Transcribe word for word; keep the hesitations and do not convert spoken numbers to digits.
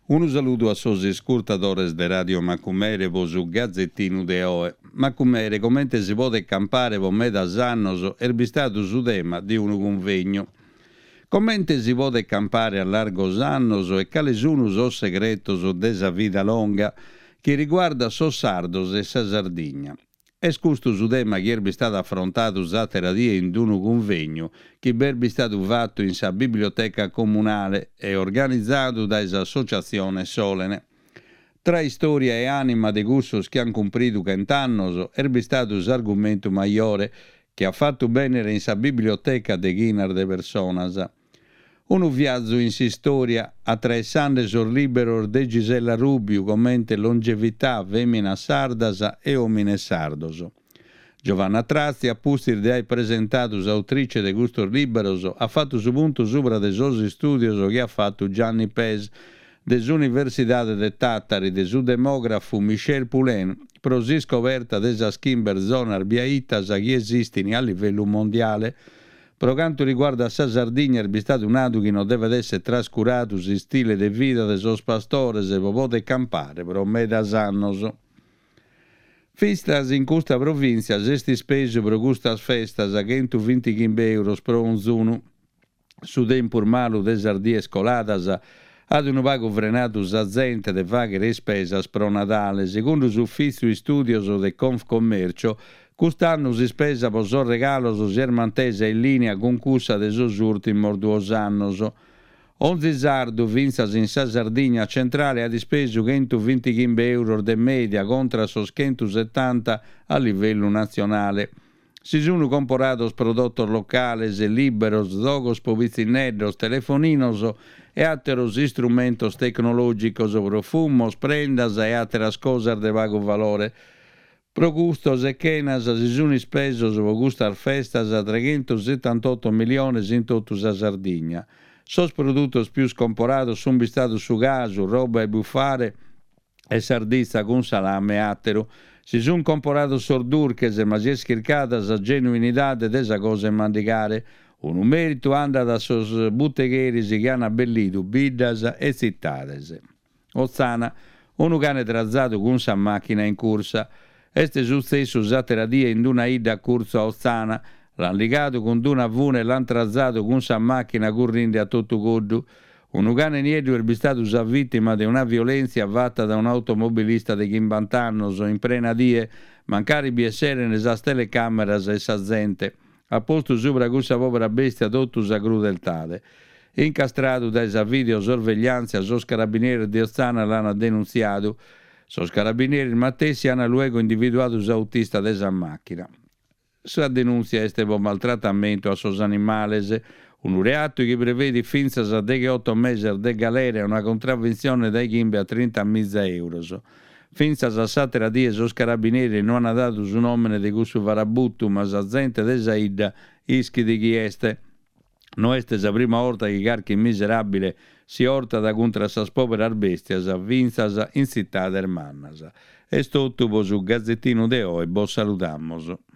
Unu saludu a sos iscurtadores de Radio Macumere po su Gazettinu de oe. Macumere, comente si podet campare po medas annos, est bistadu su tema de unu cunvegnu. Comente si podet campare a largos annos e cale sunu sos segretos de sa vida longa chi riguardat sos sardos e sa Sardigna? Est custu su tema chi est bistadu afrontadu s'àtera die in unu cunvegnu chi b'est bistadu fatu in sa Biblioteca Comunale e organizadu dae s'Associatzione Solene. Tra istòria e ànima de cussos chi ant cumpridu chent'annos est bistadu s'argumentu majore chi at fatu bènnere in sa biblioteca deghinas de personas. Unu viazu in s'istòria, atraessende sos lìberos de Gisella Rubiu comente Longevità, Fèminas sardas e Òmines sardos. Giovanna Trazzi, a pustis de aer presentadu s'autrice de custos lìberos, at fatu su puntu subra de sos istùdios chi at fatu Gianni Pes de s'Universidade de Tàtari de su demògrafu Michel Poulain pro s'iscoberta de sas chimbe zonas biaitas chi esistin a livellu mondiale. Pro cantu riguardat sa Sardigna est bistadu nadu chi non devet èssere trascuradu s'istile de vida de sos pastores pro poder campare pro medas annos. Fintzas in custa provìntzia s'est ispesu pro custas festas chentu bintighimbe euros pro onzunu. Su tempus malu de sas dies coladas at unu pagu frenadu sa zente de fàghere ispesas pro Nadale. Segundu s'Ufìtziu Istùdios de Confcommercio, cust'annu s'ispesa pro sos regalos si est mantesa in lìnia cun cussa de sos ùrtimos duos annos. Onzi sardu, fintzas in sa Sardigna centrale, at ispesu chentu bintighimbe euros de mèdia contra sos chentu setanta a livellu natzionale. Si sunt comporados prodotos locales, lìberos, zogos pro pitzinneddos, telefoninos e àteros istrumentos tecnològicos, profumos, prendas e àteras cosas de pagu valore. Pro gustos e chenas si sunt ispesos pro custas festas treghentosetantotto miliones in totu sa Sardigna. Sos produtos pius comporados sunt bistados su casu, roba 'e bufare e sarditza cun salame e àteru. Si sunt comporados sos durches, ma si est chircada sa genuinidade de sa cosa 'e mandigare. Unu mèritu andat a sos butegheris chi ant abbellidu biddas e tzitades. Otzana, unu cane trazadu cun sa màchina in cursa. Est sutzessu s'àtera die in una 'idda a curtzu a Otzana. L'ant ligadu cun una fune e l'ant trazadu cun sa màchina currinde a totu coddu. Unu cane nieddu est bistadu sa vìtima de una violèntzia fata dae un'automobilista de chimbanta annos in prena die, mancari bi esseren sas telecàmeras e sa zente. At postu subra cussa pòbera bèstia totu sa crudeltade. Incastradu dae sa videosorvegliàntzia, sos carabineris de Otzana l'ant denuntziadu. Sos carabineris matessi ant luego individuadu s'autista de sa màchina. Sa denùntzia est pro maltratamentu a sos animales, unu reatu chi prevedit fintzas a degheoto meses de galera e una contraventzione dae chimbe a trinta miza euros. Fintzas a s'àtera die sos carabineris no ant dadu su nòmene de cussu farabutu, ma sa zente de sa 'idda ischit chi est. No est sa prima 'orta chi carchi miseràbile si 'ortat contra sas pòberas bèstias fintzas in tzitades mannas. Est totu pro su Gazetinu de oe, bos saludamos.